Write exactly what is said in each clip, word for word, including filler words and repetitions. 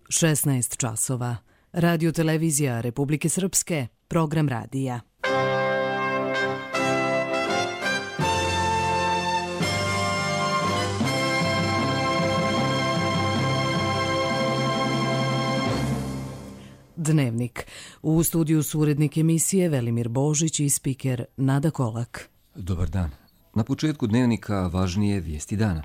šesnaest časova. Radio televizija Republike Srpske, program radija. Dnevnik. U studiju su urednik emisije Velimir Božić i spiker Nada Kolak. Dobar dan. Na početku dnevnika važnije vijesti dana.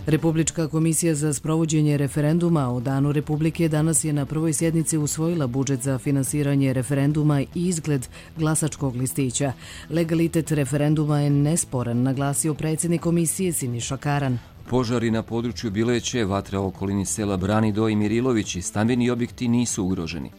Republička komisija za sprovođenje referenduma o Danu Republike danas je na prvoj sjednici usvojila budžet za finansiranje referenduma i izgled glasačkog listića. Legalitet referenduma je nesporan, naglasio predsjednik komisije Siniša Karan. Požari na području Bileće, vatra u okolini sela Branido i Mirilović i stambeni objekti nisu ugroženi.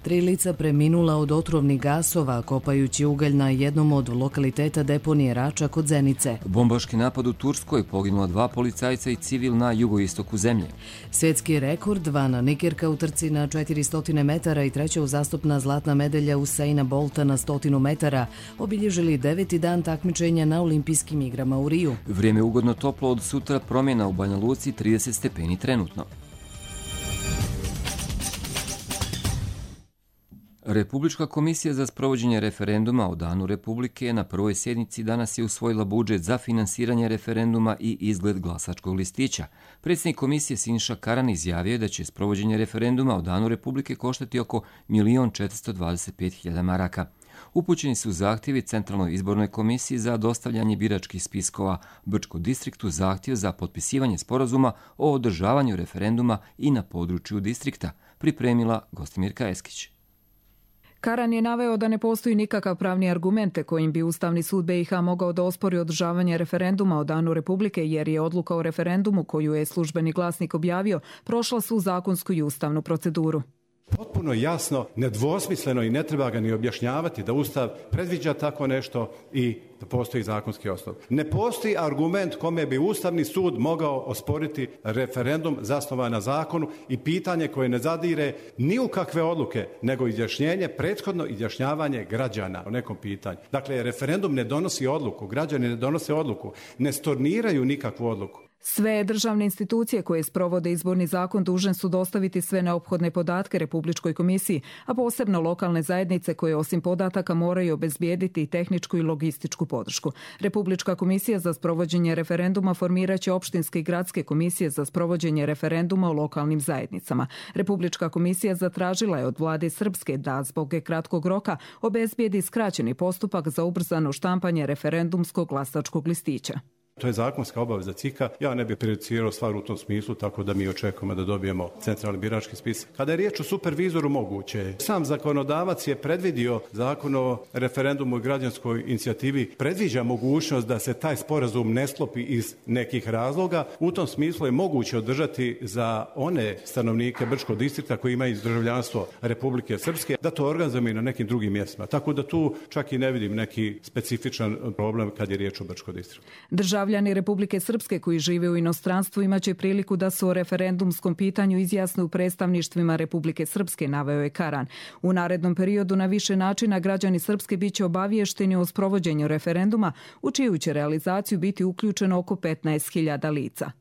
Tri lica preminula od otrovnih gasova kopajući ugalj na jednom od lokaliteta deponije Rača kod Zenice. Bombaški napad u Turskoj, poginula dva policajca i civil na jugoistoku zemlje. Svjetski rekord, Vana Nikirka u trci na četiristo metara i treća uzastopna zlatna medalja Usaina Bolta na sto metara obilježili deveti dan takmičenja na olimpijskim igrama u Riju. Vrijeme ugodno toplo, od sutra promjena u Banja Luci, trideset stepeni trenutno. Republička komisija za sprovođenje referenduma o Danu Republike na prvoj sjednici danas je usvojila budžet za finansiranje referenduma i izgled glasačkog listića. Predsjednik komisije Siniša Karan izjavio je da će sprovođenje referenduma o Danu Republike koštati oko milion četiristo dvadeset pet hiljada maraka. Upućeni su zahtjevi Centralnoj izbornoj komisiji za dostavljanje biračkih spiskova, Brčko distriktu zahtjev za potpisivanje sporazuma o održavanju referenduma i na području distrikta, pripremila Gostimirka Eskić. Karan je naveo da ne postoji nikakav pravni argumente kojim bi Ustavni sud B i H mogao da ospori održavanje referenduma o Danu Republike, jer je odluka o referendumu koju je Službeni glasnik objavio prošla svu zakonsku i ustavnu proceduru. Potpuno jasno, nedvosmisleno i ne treba ga ni objašnjavati da Ustav predviđa tako nešto i da postoji zakonski osnov. Ne postoji argument kome bi Ustavni sud mogao osporiti referendum zasnovan na zakonu i pitanje koje ne zadire ni u kakve odluke, nego izjašnjenje, prethodno izjašnjavanje građana o nekom pitanju. Dakle, referendum ne donosi odluku, građani ne donose odluku, ne storniraju nikakvu odluku. Sve državne institucije koje sprovode izborni zakon dužne su dostaviti sve neophodne podatke Republičkoj komisiji, a posebno lokalne zajednice koje osim podataka moraju obezbijediti tehničku i logističku podršku. Republička komisija za sprovođenje referenduma formiraće opštinske i gradske komisije za sprovođenje referenduma u lokalnim zajednicama. Republička komisija zatražila je od vlade Srpske da zbog kratkog roka obezbijedi skraćeni postupak za ubrzano štampanje referendumskog glasačkog listića. To je zakonska obaveza C I K-a. Ja ne bih prejudicirao stvar u tom smislu, tako da mi očekujemo da dobijemo centralni birački spis. Kada je riječ o supervizoru, moguće. Sam zakonodavac je predvidio Zakon o referendumu i građanskoj inicijativi, predviđa mogućnost da se taj sporazum ne sklopi iz nekih razloga. U tom smislu je moguće održati za one stanovnike Brčkog distrikta koji imaju državljanstvo Republike Srpske, da to organizujemo i na nekim drugim mjestima. Tako da tu čak i ne vidim neki specifičan problem kad je riječ o Brčkom distriktu. Državljani Republike Srpske koji žive u inostranstvu imaće priliku da se o referendumskom pitanju izjasne u predstavništvima Republike Srpske, naveo je Karan. U narednom periodu na više načina građani Srpske biće obaviješteni o sprovođenju referenduma, u čiju će realizaciju biti uključeno oko petnaest hiljada lica.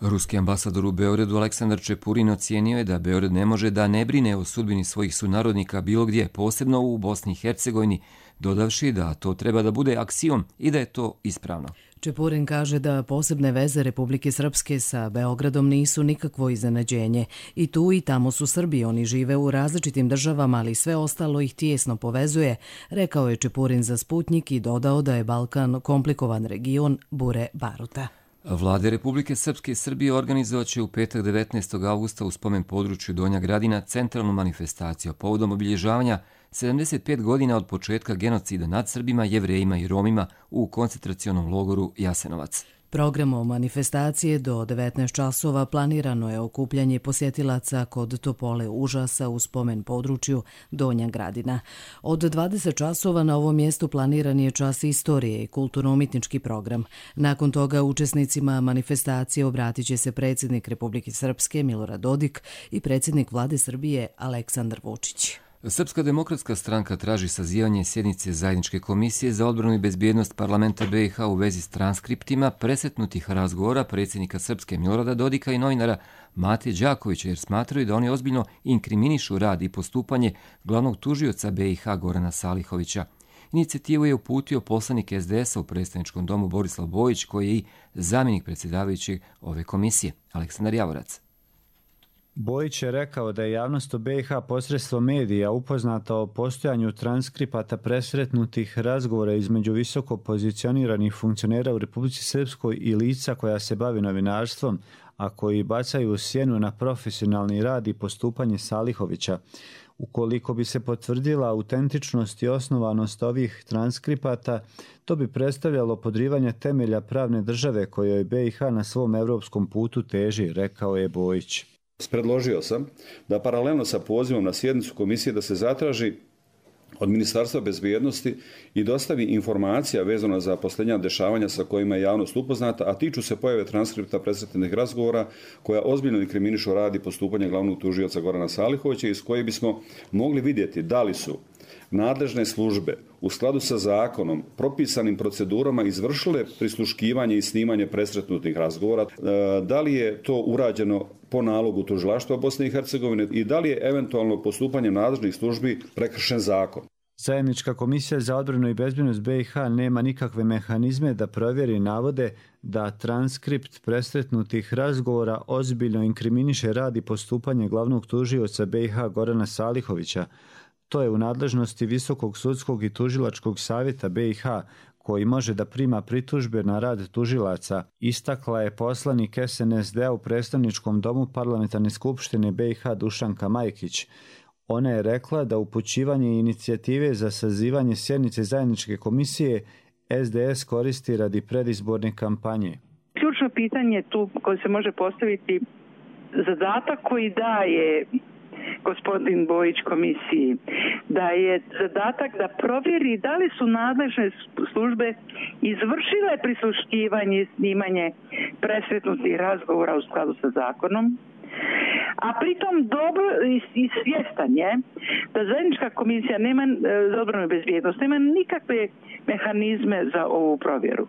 Ruski ambasador u Beogradu Aleksandar Čepurin ocijenio je da Beograd ne može da ne brine o sudbini svojih sunarodnika bilo gdje, posebno u Bosni i Hercegovini, dodavši da to treba da bude aksiom i da je to ispravno. Čepurin kaže da posebne veze Republike Srpske sa Beogradom nisu nikakvo iznenađenje. I tu i tamo su Srbi, oni žive u različitim državama, ali sve ostalo ih tijesno povezuje, rekao je Čepurin za Sputnjik i dodao da je Balkan komplikovan region bure baruta. Vlade Republike Srpske i Srbije organizovat će u petak devetnaestog avgusta u spomen području Donja Gradina centralnu manifestaciju povodom obilježavanja sedamdeset pet godina od početka genocida nad Srbima, Jevrejima i Romima u koncentracionom logoru Jasenovac. Programom manifestacije do devetnaest časova planirano je okupljanje posjetilaca kod Topole užasa u spomen području Donja Gradina. Od dvadeset časova na ovom mjestu planiran je čas istorije i kulturno-umjetnički program. Nakon toga učesnicima manifestacije obratit će se predsjednik Republike Srpske Milorad Dodik i predsjednik vlade Srbije Aleksandar Vučić. Srpska demokratska stranka traži sazivanje sjednice Zajedničke komisije za odbranu i bezbjednost parlamenta B i H u vezi s transkriptima presretnutih razgovora predsjednika Srpske Milorada Dodika i novinara Mate Đakovića, jer smatraju da oni ozbiljno inkriminišu rad i postupanje glavnog tužioca B i H Gorana Salihovića. Inicijativu je uputio poslanik S D S-a u predstavničkom domu Borislav Bojić, koji je i zamjenik predsjedavajućeg ove komisije, Aleksandar Javorac. Bojić je rekao da je javnost u B i H posredstvom medija upoznata o postojanju transkripata presretnutih razgovora između visoko pozicioniranih funkcionera u Republici Srpskoj i lica koja se bavi novinarstvom, a koji bacaju sjenu na profesionalni rad i postupanje Salihovića. Ukoliko bi se potvrdila autentičnost i osnovanost ovih transkripata, to bi predstavljalo podrivanje temelja pravne države kojoj B i H na svom europskom putu teži, rekao je Bojić. Predložio sam da paralelno sa pozivom na sjednicu komisije da se zatraži od Ministarstva bezbjednosti i dostavi informacija vezana za posljednja dešavanja sa kojima je javnost upoznata, a tiču se pojave transkripta presretnih razgovora koja ozbiljno inkriminišu rad i postupanje glavnog tužioca Gorana Salihovića, iz koje bismo mogli vidjeti da li su nadležne službe u skladu sa zakonom, propisanim procedurama izvršile prisluškivanje i snimanje presretnutih razgovora, da li je to urađeno po nalogu tužilaštva Bosne i Hercegovine i da li je eventualno postupanjem nadležnih službi prekršen zakon. Zajednička komisija za odbranu i bezbjednost B i H nema nikakve mehanizme da provjeri navode da transkript presretnutih razgovora ozbiljno inkriminiše rad i postupanje glavnog tužioca B i H Gorana Salihovića. To je u nadležnosti Visokog sudskog i tužilačkog savjeta B i H, koji može da prima pritužbe na rad tužilaca, istakla je poslanik S N S D-a u predstavničkom domu Parlamentarne skupštine B i H Dušanka Majkić. Ona je rekla da upućivanje inicijative za sazivanje sjednice Zajedničke komisije S D S koristi radi predizborne kampanje. Ključno pitanje tu koje se može postaviti, zadatak koji daje gospodin Bojić komisiji, da je zadatak da provjeri da li su nadležne službe izvršile prisluškivanje i snimanje presretnutih razgovora u skladu sa zakonom, a pritom dobro i svjestan je da Zajednička komisija nema, za odbranu i bezbjednost nema nikakve mehanizme za ovu provjeru.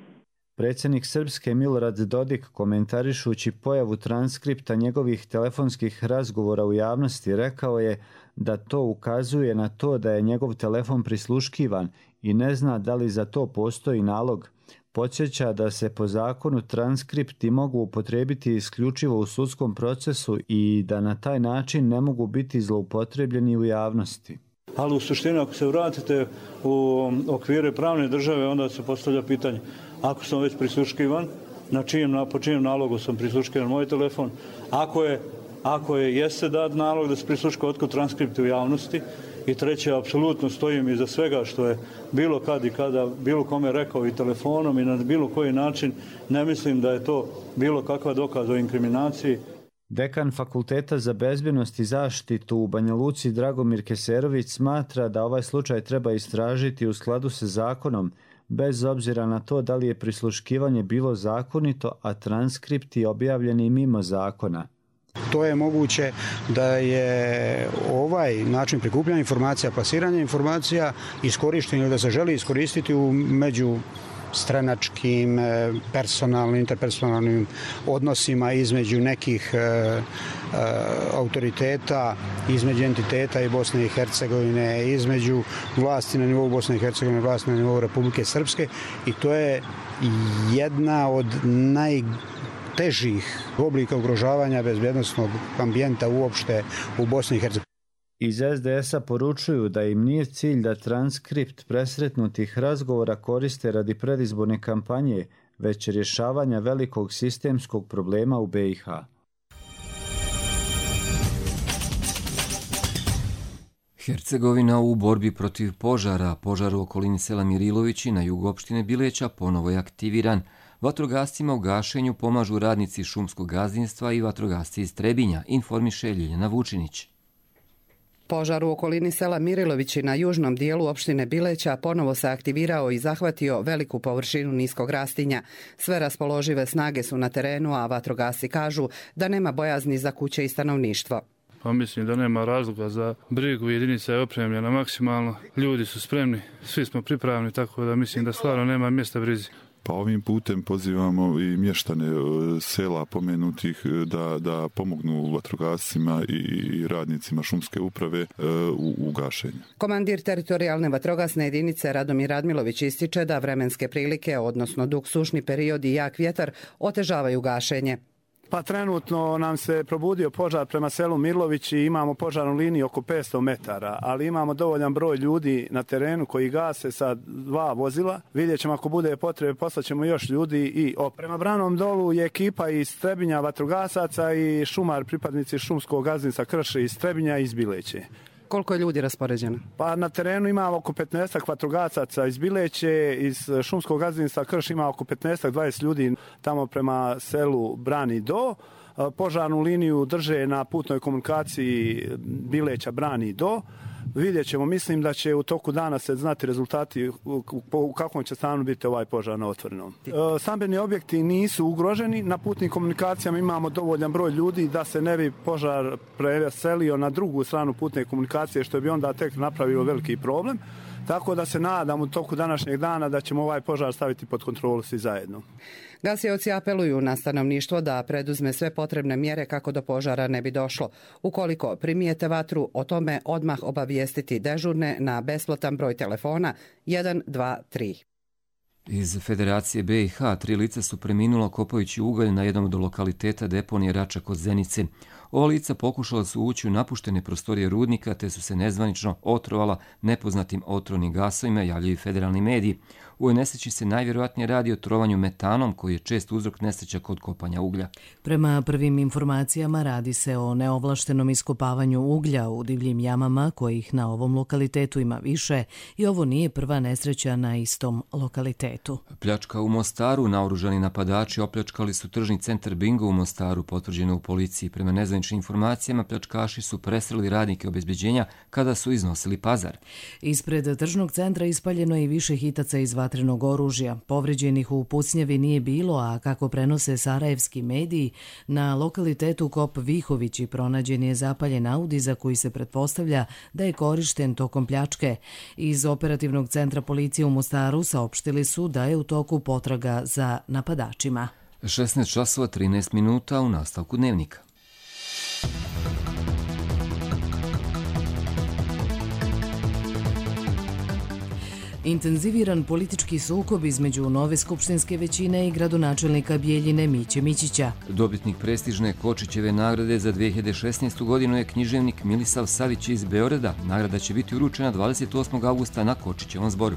Predsjednik Srpske Milorad Dodik, komentarišući pojavu transkripta njegovih telefonskih razgovora u javnosti, rekao je da to ukazuje na to da je njegov telefon prisluškivan i ne zna da li za to postoji nalog. Podsjeća da se po zakonu transkripti mogu upotrijebiti isključivo u sudskom procesu i da na taj način ne mogu biti zloupotrebljeni u javnosti. Ali u suštini, ako se vratite u okvire pravne države, onda se postavlja pitanje: ako sam već prisluškivan, na čijem, po čijem nalogu sam prisluškivan moj telefon, ako je, ako je jeste dat nalog da se prisluška, otkud transkripti u javnosti, i treće, apsolutno stojim iza svega što je bilo kad i kada bilo kome rekao i telefonom i na bilo koji način, ne mislim da je to bilo kakva dokaz o inkriminaciji. Dekan Fakulteta za bezbjednost i zaštitu u Banja Luci Dragomir Keserović smatra da ovaj slučaj treba istražiti u skladu sa zakonom, bez obzira na to da li je prisluškivanje bilo zakonito, a transkripti objavljeni mimo zakona. To je moguće da je ovaj način prikupljanja informacija, plasiranja informacija iskorišten ili da se želi iskoristiti u među stranačkim, personalnim, interpersonalnim odnosima između nekih e, e, autoriteta, između entiteta i Bosne i Hercegovine, između vlasti na nivou Bosne i Hercegovine, vlasti na nivou Republike Srpske, i to je jedna od najtežih oblika ugrožavanja bezbjednosnog ambijenta uopšte u Bosni i Hercegovini. Iz S D S-a poručuju da im nije cilj da transkript presretnutih razgovora koriste radi predizborne kampanje, već rješavanja velikog sistemskog problema u B i H. Hercegovina u borbi protiv požara. Požar u okolini sela Mirilovići na jugu opštine Bileća ponovo je aktiviran. Vatrogascima u gašenju pomažu radnici šumskog gazdinstva i vatrogasci iz Trebinja, informiše Ljiljana Vučinić. Požar u okolini sela Mirilovići na južnom dijelu opštine Bileća ponovo se aktivirao i zahvatio veliku površinu niskog rastinja. Sve raspoložive snage su na terenu, a vatrogasci kažu da nema bojazni za kuće i stanovništvo. pa mislim da nema razloga za brigu, jedinica je opremljena maksimalno, ljudi su spremni, svi smo pripravni, tako da mislim da stvarno nema mjesta brizi. Pa ovim putem pozivamo i mještane sela pomenutih da, da pomognu vatrogascima i radnicima šumske uprave u, u gašenju. Komandir teritorijalne vatrogasne jedinice Radomir Radmilović ističe da vremenske prilike, odnosno dug sušni period i jak vjetar, otežavaju gašenje. Pa trenutno nam se probudio požar prema selu Mirlović i imamo požarnu liniju oko petsto metara, ali imamo dovoljan broj ljudi na terenu koji gase sa dva vozila. Vidjet ćemo ako bude potrebe, poslaćemo još ljudi i op. Prema Branom dolu je ekipa iz Trebinja vatrogasaca i šumar pripadnici šumskog gazdinstva Krše iz Trebinja i iz Bileće. Koliko je ljudi raspoređeno? Pa na terenu ima oko petnaest vatrogasaca iz Bileće, iz šumskog gazdinstva Krš ima oko petnaest do dvadeset ljudi tamo prema selu Brani do. Požarnu liniju drže na putnoj komunikaciji Bileća Brani do. Vidjet ćemo, mislim da će u toku dana se znati rezultati u, u kakvom će stanu biti ovaj požar na otvorenom. E, stambeni objekti nisu ugroženi, na putnim komunikacijama imamo dovoljan broj ljudi da se ne bi požar preselio na drugu stranu putne komunikacije, što bi onda tek napravilo veliki problem. Tako da se nadam u toku današnjeg dana da ćemo ovaj požar staviti pod kontrolu svi zajedno. Gasioci apeluju na stanovništvo da preduzme sve potrebne mjere kako do požara ne bi došlo. Ukoliko primijete vatru, o tome odmah obavijestiti dežurne na besplatan broj telefona jedan dva tri. Iz Federacije B i H tri lica su preminula kopajući ugalj na jednom od lokaliteta deponije Rača kod Zenice. Ova lica pokušala su ući u napuštene prostorije rudnika te su se nezvanično otrovala nepoznatim otrovnim gasovima, javljaju federalni mediji. U ovoj nesreći se najvjerojatnije radi o trovanju metanom koji je čest uzrok nesreća kod kopanja uglja. Prema prvim informacijama radi se o neovlaštenom iskopavanju uglja u divljim jamama kojih na ovom lokalitetu ima više i ovo nije prva nesreća na istom lokalitetu. Pljačka u Mostaru. Naoružani napadači opljačkali su tržni centar Bingo u Mostaru, potvrđeno u policiji. Prema nezvaničnim informacijama pljačkaši su presreli radnike obezbeđenja kada su iznosili pazar. Ispred tržnog centra ispaljeno je i više hitaca iz vatrenog oružja. Povređenih u pucnjavi nije bilo, a kako prenose sarajevski mediji, na lokalitetu Kop Vihovići pronađen je zapaljen Audi za koji se pretpostavlja da je korišten tokom pljačke. Iz operativnog centra policije u Mostaru saopštili su da je u toku potraga za napadačima. šesnaest časova trinaest minuta u nastavku dnevnika. Intenziviran politički sukob između nove skupštinske većine i gradonačelnika Bijeljine Miće Mićića. Dobitnik prestižne Kočićeve nagrade za dve hiljade šesnaestu. godinu je književnik Milisav Savić iz Beograda. Nagrada će biti uručena dvadeset osmog avgusta na Kočićevom zboru.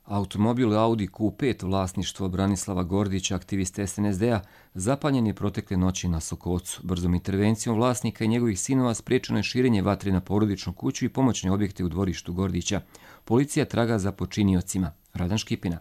Automobil Audi Q pet vlasništvo Branislava Gordića, aktivista S N S D-a, zapaljen je protekle noći na Sokocu. Brzom intervencijom vlasnika i njegovih sinova spriječeno je širenje vatre na porodičnu kuću i pomoćne objekte u dvorištu Gordića. Policija traga za počiniocima. Radan Škipina.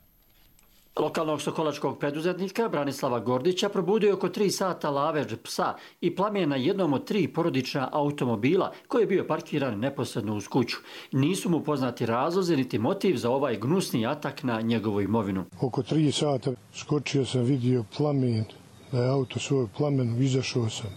Lokalnog sokolačkog preduzetnika Branislava Gordića probudio je oko tri sata lavež psa i plamen na jednom od tri porodična automobila koji je bio parkiran neposredno uz kuću. Nisu mu poznati razlozi niti motiv za ovaj gnusni atak na njegovu imovinu. Oko tri sata skočio sam, vidio plamen, da je auto svoj plamen, izašao sam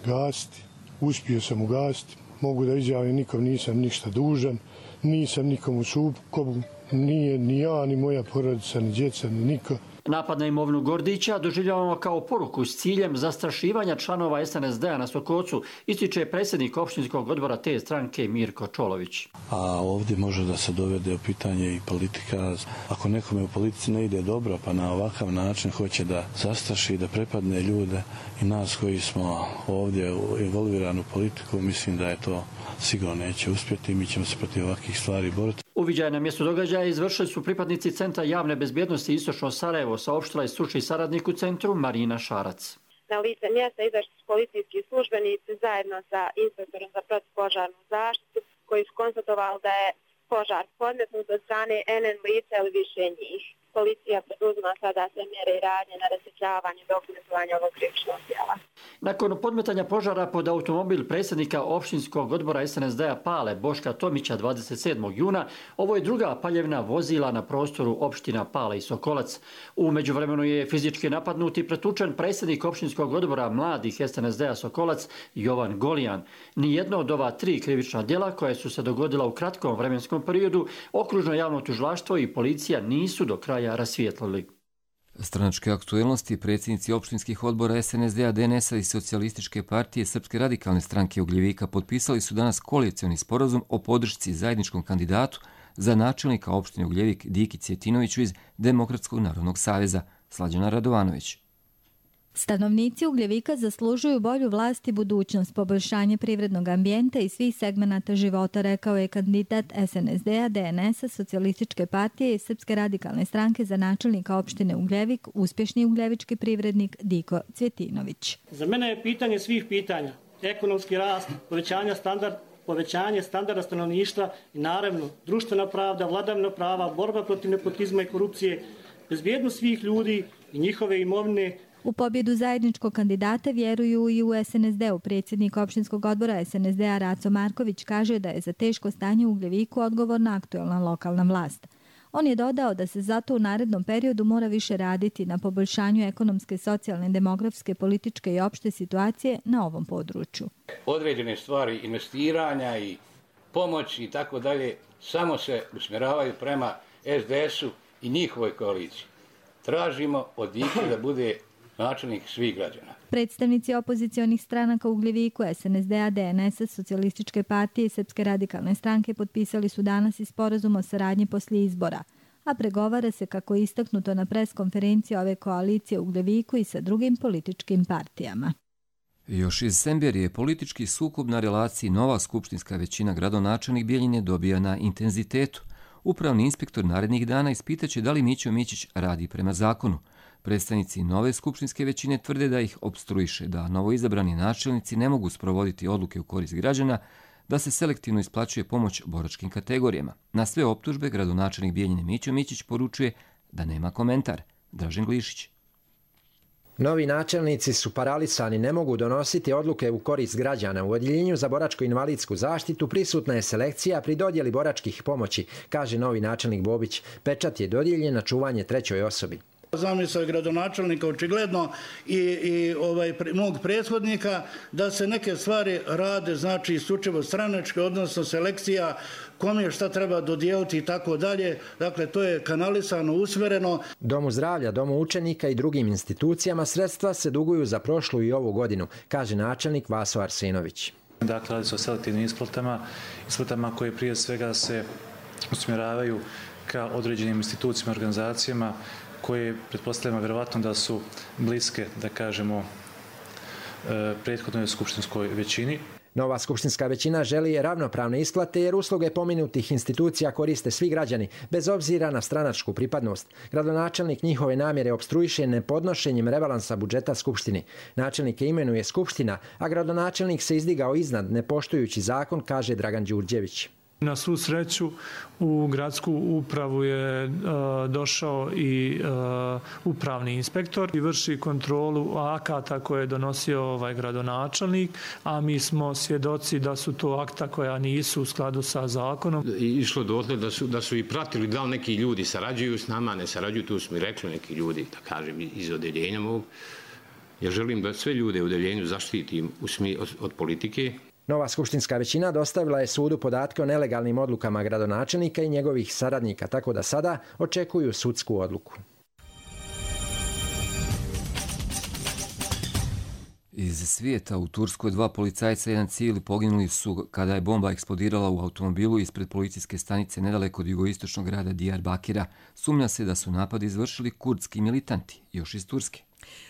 gasiti, uspio sam ugasiti. Mogu da izjavim, nikom nisam ništa dužan, nisam nikom u sukobu. Nije ni ja, ni moja porodica, ni djeca, ni niko. Napad na imovinu Gordića doživljavamo kao poruku s ciljem zastrašivanja članova S N S D-a na Sokocu, ističe predsjednik opštinskog odbora te stranke Mirko Čolović. A ovdje može da se dovede u pitanje i politika. Ako nekome u politici ne ide dobro, pa na ovakav način hoće da zastraši, da prepadne ljude i nas koji smo ovdje involvirani u politiku, mislim da je to sigurno neće uspjeti i mi ćemo se protiv ovakvih stvari boriti. Uviđaj na mjestu događaja izvršili su pripadnici Centra javne bezbjednosti Istočno Sarajevo, saopštila je stručni saradnik u centru Marina Šarac. Na lice mjesta izašli su policijski službenici zajedno sa inspektorom za protivpožarnu zaštitu koji su konstatovali da je požar podmetnut od strane N N lica ili više njih. policija poduzima sada sve mjere i radnje na rasvjetljavanju i dokumentovanju ovog krivičnog djela. Nakon podmetanja požara pod automobil predsjednika opštinskog odbora S N S D-a Pale Boška Tomića dvadeset sedmog juna, ovo je druga paljevna vozila na prostoru opština Pale i Sokolac. U međuvremenu je fizički napadnut i pretučen predsjednik opštinskog odbora mladih S N S D-a Sokolac Jovan Golijan. Nijedno od ova tri krivična djela koja su se dogodila u kratkom vremenskom periodu, okružno javno tužilaštvo i policija nisu do kraja rasvijetlili. Stranačke aktuelnosti predsjednici opštinskih odbora S N S D-a, D N S-a i Socijalističke partije Srpske radikalne stranke Ugljevika potpisali su danas koalicioni sporazum o podršci zajedničkom kandidatu za načelnika opštine Ugljevik Diki Cvjetinoviću iz Demokratskog narodnog saveza. Slađana Radovanović. Stanovnici Ugljevika zaslužuju bolju vlast i budućnost, poboljšanje privrednog ambijenta i svih segmenata života, rekao je kandidat S N S D-a, D N S-a, Socijalističke partije i Srpske radikalne stranke za načelnika opštine Ugljevik, uspješni ugljevički privrednik Diko Cvjetinović. Za mene je pitanje svih pitanja, ekonomski rast, povećanje standard, povećanje standarda stanovništva i naravno društvena pravda, vladavina prava, borba protiv nepotizma i korupcije, bezbjednost svih ljudi i njihove imovine. U pobjedu zajedničkog kandidata vjeruju i u S N S D-u. Predsjednik opštinskog odbora S N S D-a Raco Marković kaže da je za teško stanje u Ugljeviku odgovorna aktuelna lokalna vlast. On je dodao da se zato u narednom periodu mora više raditi na poboljšanju ekonomske, socijalne, demografske, političke i opšte situacije na ovom području. Određene stvari investiranja i pomoći i tako dalje samo se usmjeravaju prema S D S-u i njihovoj koaliciji. Tražimo od Dike da bude načelnik svih građana. Predstavnici opozicionih stranaka u Ugljeviku, S N S D-a, D N S-a, Socijalističke partije i Srpske radikalne stranke potpisali su danas i sporazum o saradnji poslije izbora, a pregovara se, kako je istaknuto na preskonferenciji ove koalicije u Ugljeviku, i sa drugim političkim partijama. Još iz Semberije politički sukob na relaciji nova skupštinska većina gradonačelnik Bjeljine dobija na intenzitetu. Upravni inspektor narednih dana ispitaće da li Mićo Mićić radi prema zakonu. Predstavnici nove skupštinske većine tvrde da ih opstruiše, da novoizabrani načelnici ne mogu sprovoditi odluke u korist građana, da se selektivno isplaćuje pomoć boračkim kategorijama. Na sve optužbe gradonačelnik Bjeljine Mićo Mićić poručuje da nema komentar. Dražen Glišić. Novi načelnici su paralisani, ne mogu donositi odluke u korist građana. U odjeljenju za boračko-invalidsku zaštitu prisutna je selekcija pri dodjeli boračkih pomoći, kaže novi načelnik Bobić. Pečat je dodijeljen na čuvanje trećoj osobi. Zamisao je gradonačelnika očigledno i, i ovaj, mog prethodnika da se neke stvari rade, znači isključivo stranačke, odnosno selekcija, kome šta treba dodijeliti i tako dalje. Dakle, to je kanalisano, usmjereno. Domu zdravlja, Domu učenika i drugim institucijama sredstva se duguju za prošlu i ovu godinu, kaže načelnik Vaso Arsenović. Dakle, radi se o selektivnim isplatama, isplatama koje prije svega se usmjeravaju ka određenim institucijama, organizacijama koje pretpostavljamo vjerovatno da su bliske, da kažemo, prethodnoj skupštinskoj većini. Nova skupštinska većina želi ravnopravne isplate jer usluge pomenutih institucija koriste svi građani, bez obzira na stranačku pripadnost. Gradonačelnik njihove namjere opstruiše nepodnošenjem rebalansa budžeta skupštini. Načelnike imenuje skupština, a gradonačelnik se izdigao iznad, ne poštujući zakon, kaže Dragan Đurđević. Na svu sreću u gradsku upravu je uh, došao i uh, upravni inspektor i vrši kontrolu akata koje je donosio ovaj gradonačelnik, a mi smo svjedoci da su to akta koja nisu u skladu sa zakonom. Išlo dotle da su, da su i pratili da li neki ljudi sarađuju s nama, ne sarađuju, tu su mi rekli neki ljudi, da kažem, iz odeljenja mog. Ja želim da sve ljude u odeljenju zaštitim u smi, od, od politike. Nova skupštinska većina dostavila je sudu podatke o nelegalnim odlukama gradonačelnika i njegovih saradnika, tako da sada očekuju sudsku odluku. Iz svijeta u Turskoj dva policajca i jedan civil poginuli su kada je bomba eksplodirala u automobilu ispred policijske stanice nedaleko od jugoistočnog grada Diyarbakira. Sumnja se da su napad izvršili kurdski militanti, još iz Turske.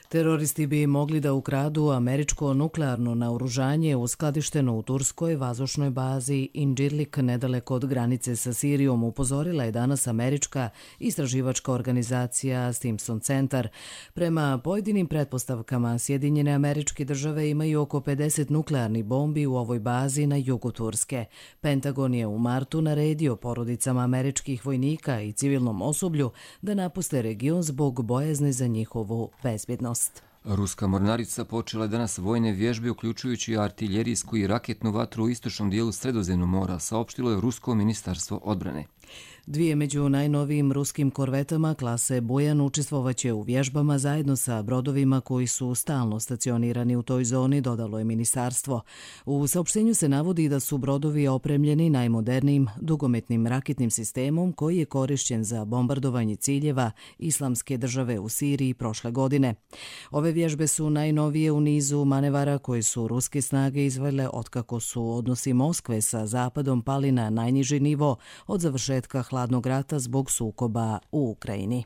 Teroristi bi mogli da ukradu američko nuklearno naoružanje uskladišteno u turskoj vazdušnoj bazi Incirlik nedaleko od granice sa Sirijom, upozorila je danas američka istraživačka organizacija Stimson Centar. Prema pojedinim pretpostavkama, Sjedinjene Američke Države imaju oko pedeset nuklearnih bombi u ovoj bazi na jugu Turske. Pentagon je u martu naredio porodicama američkih vojnika i civilnom osoblju da napuste region zbog bojazni za njihovu bezbjednost. Ruska mornarica počela je danas vojne vježbe, uključujući artiljerijsku i raketnu vatru u istočnom dijelu Sredozemnog mora, saopštilo je Rusko ministarstvo odbrane. Dvije među najnovijim ruskim korvetama klase Bujan učestvovaće u vježbama zajedno sa brodovima koji su stalno stacionirani u toj zoni, dodalo je ministarstvo. U saopštenju se navodi da su brodovi opremljeni najmodernijim dugometnim raketnim sistemom koji je korišćen za bombardovanje ciljeva Islamske države u Siriji prošle godine. Ove vježbe su najnovije u nizu manevara koje su ruske snage izvele otkako su odnosi Moskve sa Zapadom pali na najniži nivo od završetka hladnog rata zbog sukoba u Ukrajini.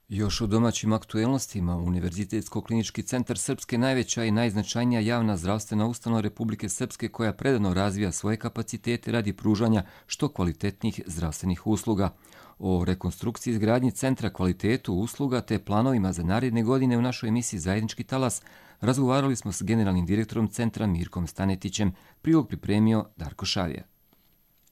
Još u domaćim aktuelnostima, Univerzitetsko-klinički centar Srpske najveća i najznačajnija javna zdravstvena ustanova Republike Srpske koja predano razvija svoje kapacitete radi pružanja što kvalitetnijih zdravstvenih usluga. O rekonstrukciji izgradnji centra, kvalitetu usluga te planovima za naredne godine u našoj emisiji Zajednički talas razgovarali smo s generalnim direktorom centra Mirkom Stanetićem. Prilog pripremio Darko Šavija.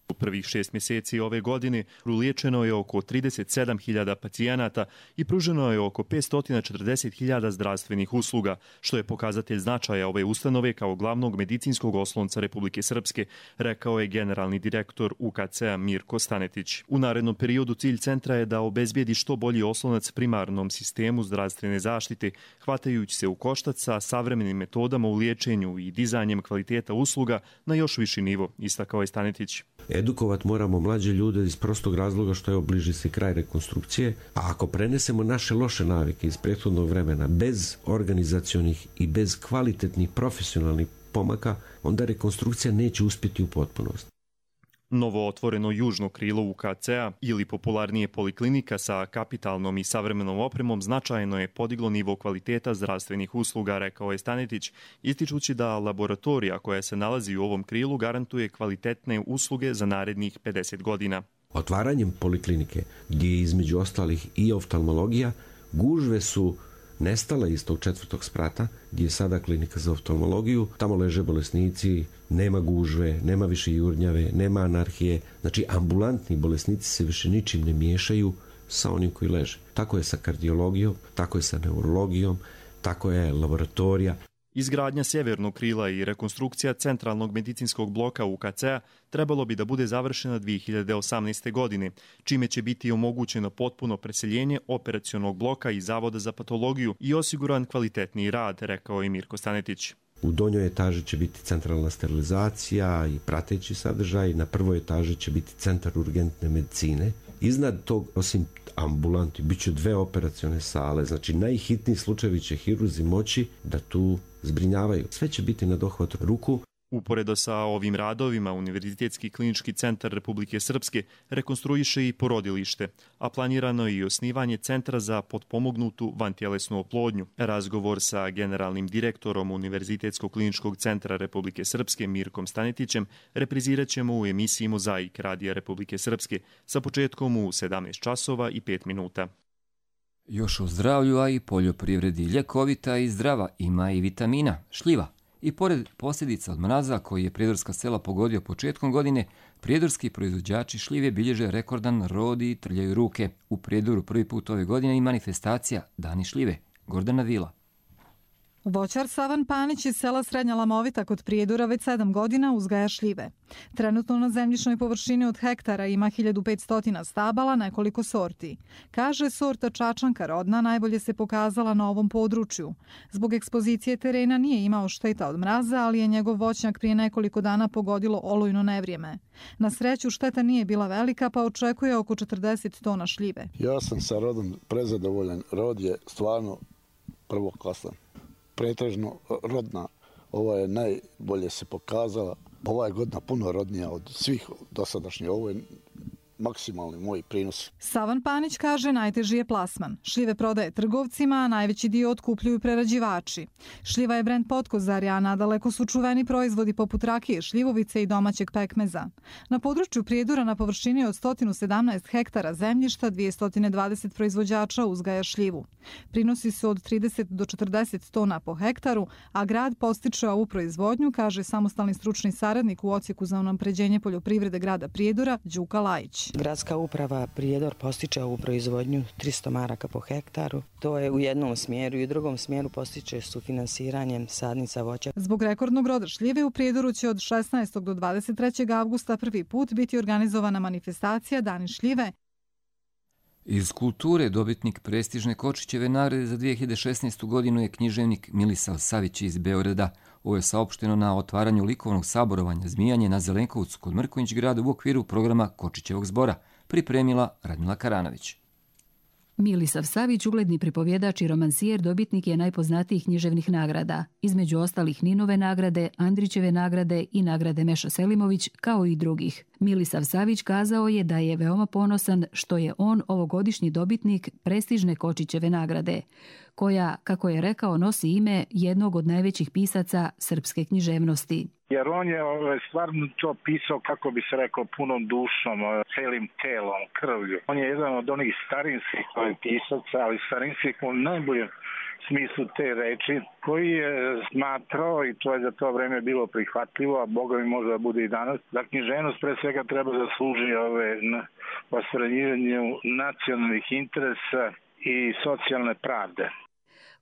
U prvih šest mjeseci ove godine liječeno je oko trideset sedam hiljada pacijenata i pruženo je oko petsto četrdeset hiljada zdravstvenih usluga, što je pokazatelj značaja ove ustanove kao glavnog medicinskog oslonca Republike Srpske, rekao je generalni direktor U K C-a Mirko Stanetić. U narednom periodu cilj centra je da obezbijedi što bolji oslonac primarnom sistemu zdravstvene zaštite, hvatajući se u koštac sa savremenim metodama u liječenju i dizanjem kvaliteta usluga na još viši nivo, istakao je Stanetić. Edukovat moramo mlađe ljude iz prostog razloga što je bliži se kraj rekonstrukcije, a ako prenesemo naše loše navike iz prethodnog vremena bez organizacionih i bez kvalitetnih profesionalnih pomaka, onda rekonstrukcija neće uspjeti u potpunosti. Novo otvoreno južno krilo U K C-a ili popularnije poliklinika sa kapitalnom i savremenom opremom značajno je podiglo nivo kvaliteta zdravstvenih usluga, rekao je Stanetić, ističući da laboratorija koja se nalazi u ovom krilu garantuje kvalitetne usluge za narednih pedeset godina. Otvaranjem poliklinike, gdje je između ostalih i oftalmologija, gužve su nestala iz tog četvrtog sprata, gdje je sada klinika za oftalmologiju. Tamo leže bolesnici, nema gužve, nema više jurnjave, nema anarhije. Znači, ambulantni bolesnici se više ničim ne miješaju sa onim koji leže. Tako je sa kardiologijom, tako je sa neurologijom, tako je laboratorija. Izgradnja sjevernog krila i rekonstrukcija centralnog medicinskog bloka U K C-a trebalo bi da bude završena dvije hiljade osamnaeste. godine, čime će biti omogućeno potpuno preseljenje operacionog bloka i Zavoda za patologiju i osiguran kvalitetniji rad, rekao je Mirko Stanetić. U donjoj etaži će biti centralna sterilizacija i prateći sadržaj, na prvoj etaži će biti centar urgentne medicine. Iznad tog, osim ambulanti, bit će dve operacione sale, znači najhitniji slučajevi će hirurzi moći da tu zbrinjavaju. Sve će biti na dohvat ruku. Uporedo sa ovim radovima, Univerzitetski klinički centar Republike Srpske rekonstruiše i porodilište, a planirano je i osnivanje centra za potpomognutu vantjelesnu oplodnju. Razgovor sa generalnim direktorom Univerzitetskog kliničkog centra Republike Srpske Mirkom Stanetićem reprizirat ćemo u emisiji Mozaik Radija Republike Srpske sa početkom u sedamnaest časova i pet minuta. Još o zdravlju, a i poljoprivredi. Ljekovita i zdrava, ima i vitamina, šljiva. I pored posljedica od mraza koji je prijedorska sela pogodio početkom godine, prijedorski proizvođači šljive bilježe rekordan rod i trljaju ruke. U Prijedoru prvi put ove godine i manifestacija Dani šljive. Gordana Vila. Voćar Savan Panić iz sela Srednja Lamovita kod Prijedora već sedam godina uzgaja šljive. Trenutno na zemljišnoj površini od hektara ima hiljadu petsto stabala, nekoliko sorti. Kaže, sorta Čačanka rodna najbolje se pokazala na ovom području. Zbog ekspozicije terena nije imao šteta od mraza, ali je njegov voćnjak prije nekoliko dana pogodilo olujno nevrijeme. Na sreću šteta nije bila velika, pa očekuje oko četrdeset tona šljive. Ja sam sa rodom prezadovoljan. Rod je stvarno prvoklasan. Pretežno rodna, ova je najbolje se pokazala. Ova je godina puno rodnija od svih dosadašnjih. Ovo je maksimalni moj prinos. Savan Panić kaže najteži je plasman. Šljive prodaje trgovcima, a najveći dio otkupljuju prerađivači. Šljiva je brend Potkozarja, a nadaleko su čuveni proizvodi poput rakije, šljivovice i domaćeg pekmeza. Na području Prijedora na površini od sto sedamnaest hektara zemljišta dvjesto dvadeset proizvođača uzgaja šljivu. Prinosi su od trideset do četrdeset tona po hektaru, a grad postiče ovu proizvodnju, kaže samostalni stručni saradnik u Odsjeku za unapređenje poljoprivrede grada Prijedora, Đuka Lajić. Gradska uprava Prijedor postiče ovu proizvodnju tristo maraka po hektaru. To je u jednom smjeru i u drugom smjeru postiče sufinanciranjem sadnica voća. Zbog rekordnog roda šljive u Prijedoru će od šesnaestog do dvadeset trećeg avgusta prvi put biti organizovana manifestacija Dani šljive. Iz kulture dobitnik prestižne Kočićeve nagrade za dvije hiljade šesnaestu godinu je književnik Milisav Savić iz Beograda. Ovo je saopšteno na otvaranju likovnog saborovanja Zmijanje na Zelenkovcu kod Mrkonjić grada u okviru programa Kočićevog zbora, pripremila Radmila Karanović. Milisav Savić, ugledni pripovjedač i romansijer, dobitnik je najpoznatijih književnih nagrada, između ostalih Ninove nagrade, Andrićeve nagrade i nagrade Meša Selimović, kao i drugih. Milisav Savić kazao je da je veoma ponosan što je on ovogodišnji dobitnik prestižne Kočićeve nagrade, koja, kako je rekao, nosi ime jednog od najvećih pisaca srpske književnosti. Jer on je stvarno to pisao, kako bi se rekao, punom dušom, celim telom, krvlju. On je jedan od onih starinskih pisaca, ali starinskih u najboljem smislu te reči, koji je smatrao, i to je za to vreme bilo prihvatljivo, a Boga mi može da bude i danas, da književnost pre svega treba da služi ove ostvarenjivanju nacionalnih interesa i socijalne pravde.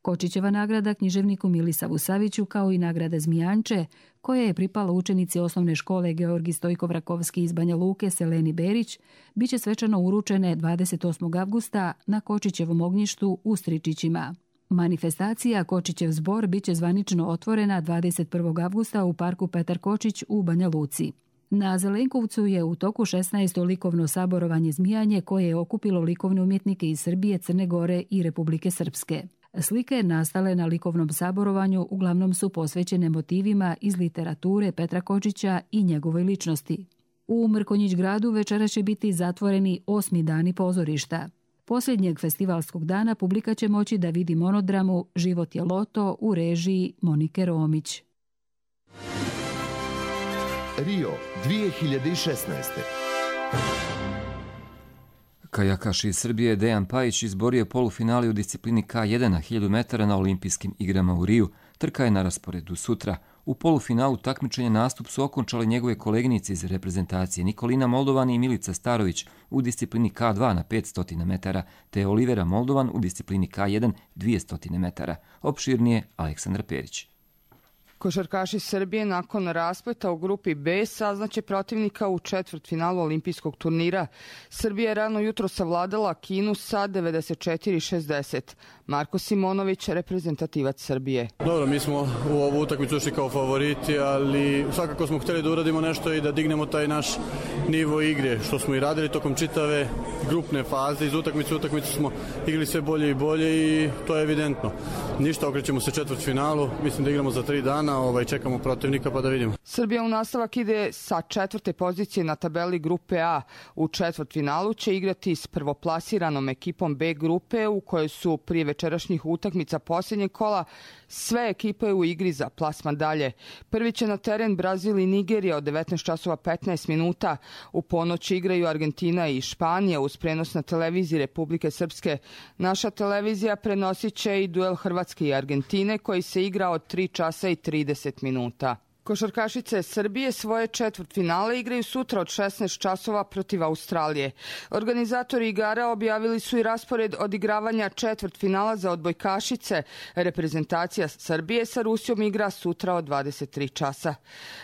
Kočićeva nagrada književniku Milisavu Saviću, kao i nagrada Zmijanče, koja je pripala učenici osnovne škole Georgi Stojko-Vrakovski iz Banja Luke Seleni Berić, bit će svečano uručene dvadeset osmog avgusta na Kočićevom ognjištu u Stričićima. Manifestacija Kočićev zbor bit će zvanično otvorena dvadeset prvog avgusta u parku Petar Kočić u Banja Luci. Na Zelenkovcu je u toku šesnaesto likovno saborovanje Zmijanje koje je okupilo likovne umjetnike iz Srbije, Crne Gore i Republike Srpske. Slike nastale na likovnom saborovanju uglavnom su posvećene motivima iz literature Petra Kočića i njegovoj ličnosti. U Mrkonjić gradu večera će biti zatvoreni osmi dani pozorišta. Posljednjeg festivalskog dana publika će moći da vidi monodramu Život je loto u režiji Monike Romić. Rio dvije hiljade šesnaeste. Kajakaš iz Srbije Dejan Pajić izborio polufinale u disciplini K jedan na hiljadu metara na olimpijskim igrama u Riju. Trka je na rasporedu sutra. U polufinalu takmičenja nastup su okončale njegove koleginice iz reprezentacije Nikolina Moldovan i Milica Starović u disciplini K dva na petsto metara, te Olivera Moldovan u disciplini K jedan dvjesto metara. Opširnije Aleksandar Perić. Košarkaši Srbije nakon raspleta u grupi B saznaće protivnika u četvrtfinalu olimpijskog turnira. Srbija je rano jutro savladala Kinu sa devedeset četiri šezdeset. Marko Simonović, reprezentativac Srbije. Dobro, mi smo u ovu utakmicu ušli kao favoriti, ali svakako smo htjeli da uradimo nešto i da dignemo taj naš nivo igre, što smo i radili tokom čitave grupne faze. Iz utakmice u utakmicu smo igrali sve bolje i bolje i to je evidentno. Ništa, okrećemo se četvrtfinalu, mislim da igramo za tri dana. Ovaj, čekamo protivnika pa da vidimo. Srbija u nastavak ide sa četvrte pozicije na tabeli grupe A. U četvrtfinalu će igrati s prvoplasiranom ekipom B grupe u kojoj su prije večerašnjih utakmica posljednjeg kola sve ekipe u igri za plasman dalje. Prvi će na teren Brazil i Nigerija od devetnaest časova petnaest minuta. U ponoć igraju Argentina i Španija uz prenos na televiziji Republike Srpske. Naša televizija prenosit će i duel Hrvatske i Argentine koji se igra od tri časa i trideset minuta. Košarkašice Srbije svoje četvrtfinale igraju sutra od šesnaest časova protiv Australije. Organizatori igara objavili su i raspored odigravanja četvrtfinala za odbojkašice. Reprezentacija Srbije sa Rusijom igra sutra od dvadeset tri časa.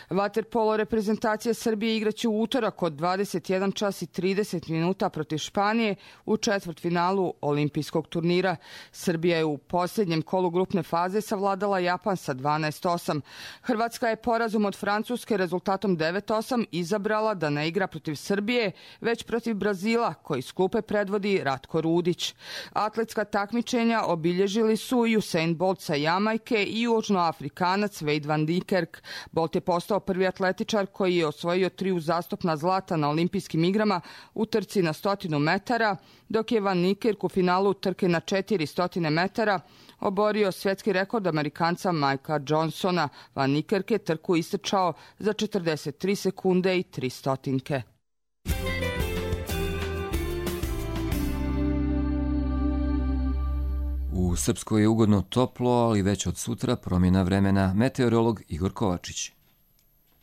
Vaterpolo reprezentacija Srbije igraće u utorak od dvadeset jedan čas i trideset minuta protiv Španije u četvrtfinalu olimpijskog turnira. Srbija je u posljednjem kolu grupne faze savladala Japan sa dvanaest osam. Hrvatska je porazom od Francuske rezultatom devet osam izabrala da ne igra protiv Srbije, već protiv Brazila, koji s klupe predvodi Ratko Rudić. Atletska takmičenja obilježili su i Usain Bolt sa Jamajke i Južnoafrikanac Wade van Niekerk. Bolt je postao prvi atletičar koji je osvojio tri uzastopna zlata na olimpijskim igrama u trci na stotinu metara, dok je van Niekerk u finalu trke na četiristo metara oborio svjetski rekord Amerikanca Mikea Johnsona. Van Niekerk je trku istrčao za četrdeset tri sekunde i tri stotinke. U Srpskoj je ugodno toplo, ali već od sutra promjena vremena. Meteorolog Igor Kovačić.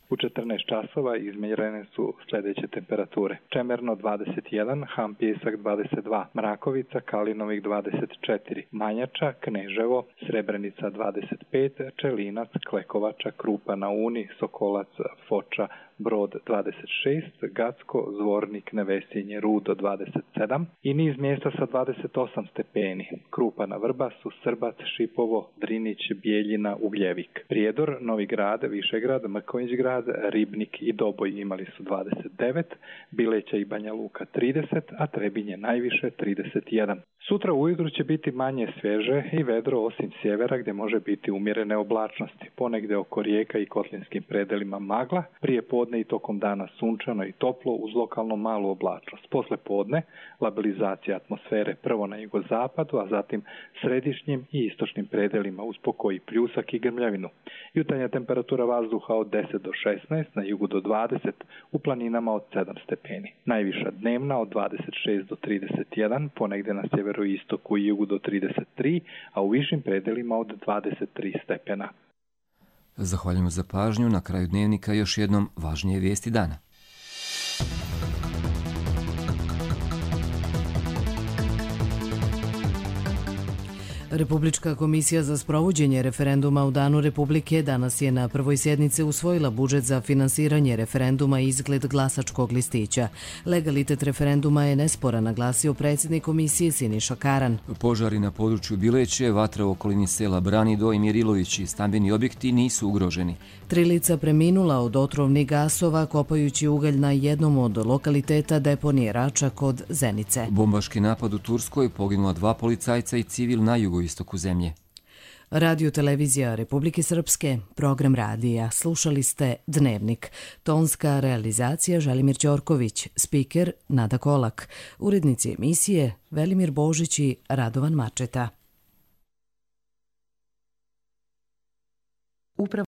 U četrnaest časova izmjerene su sljedeće temperature. Čemerno dvadeset jedan, Ham Pjesak dvadeset dva, Mrakovica, Kalinovik dvadeset četiri, Manjača, Kneževo, Srebrenica dvadeset pet, Čelinac, Klekovača, Krupa na Uni, Sokolac, Foča, Brod dvadeset šest, Gacko, Zvornik, Nevesinje, Rudo dvadeset sedam i niz mjesta sa dvadeset osam stepeni. Krupa na Vrbasu, Srbac, Šipovo, Drinić, Bijeljina, Ugljevik. Prijedor, Novi Grad, Višegrad, Mrkonjić grad, Ribnik i Doboj imali su dvadeset devet, Bileća i Banja Luka trideset, a Trebinje najviše trideset jedan. Sutra ujutru će biti manje svježe i vedro osim sjevera gdje može biti umjerene oblačnosti. Ponegdje oko rijeka i kotlinskim predelima magla, prije podne i tokom dana sunčano i toplo uz lokalno malu oblačnost. Posle podne labilizacija atmosfere prvo na jugozapadu, a zatim središnjim i istočnim predelima uz pokoj pljusak i grmljavinu. Jutarnja temperatura vazduha od deset do šesnaest, na jugu do dvadeset, u planinama od sedam stepeni. Najviša dnevna od dvadeset šest do trideset jedan, ponegdje na sjeveroistoku i jugu do trideset tri, a u višim predelima od dvadeset tri stepena. Zahvaljujemo za pažnju. Na kraju dnevnika još jednom važnije vijesti dana. Republička komisija za sprovođenje referenduma u Danu Republike danas je na prvoj sjednici usvojila budžet za finansiranje referenduma i izgled glasačkog listića. Legalitet referenduma je nesporan, naglasio predsjednik komisije Siniša Karan. Požari na području Bileće, vatra u okolini sela Branido i Mirilović i stambeni objekti nisu ugroženi. Tri lica preminula od otrovnih gasova kopajući ugalj na jednom od lokaliteta deponije Rača kod Zenice. Bombaški napad u Turskoj, poginula dva policajca i civil na jugoistoku zemlje. Radio televizija Republike Srpske, program radija. Slušali ste Dnevnik. Tonska realizacija Želimir Ćorković, spiker Nada Kolak, urednici emisije Velimir Božić i Radovan Mačeta.